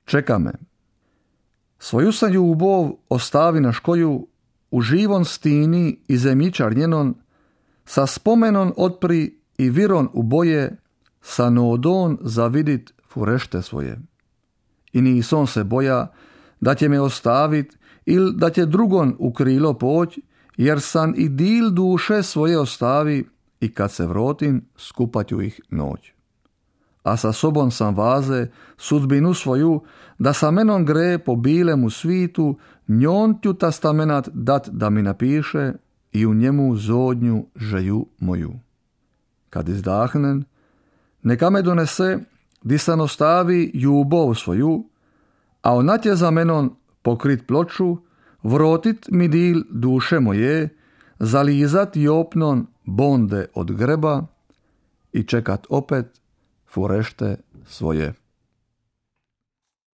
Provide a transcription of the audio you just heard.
čeka me. Svoju sam ljubov ostavi na škoju, u živon stini i zemljičar njenon, sa spomenon otpri i viron u boje, sa nodon zavidit furešte svoje. I nison se boja da će me ostavit ili da će drugon u krilo poć, jer sam i dil duše svoje ostavi i kad se vrotim skupaću ih noć. A sa sobom sam vaze sudbinu svoju, da sa menom gre po bilemu svitu, njon ću testamenat dat da mi napiše i u njemu zodnju želju moju. Kad izdahnen, neka me donese di sam ostavi ljubov svoju, a ona će za menom pokrit ploču, vrotit mi dil duše moje, zalizat jopnon bonde od greba i čekat opet furešte svoje.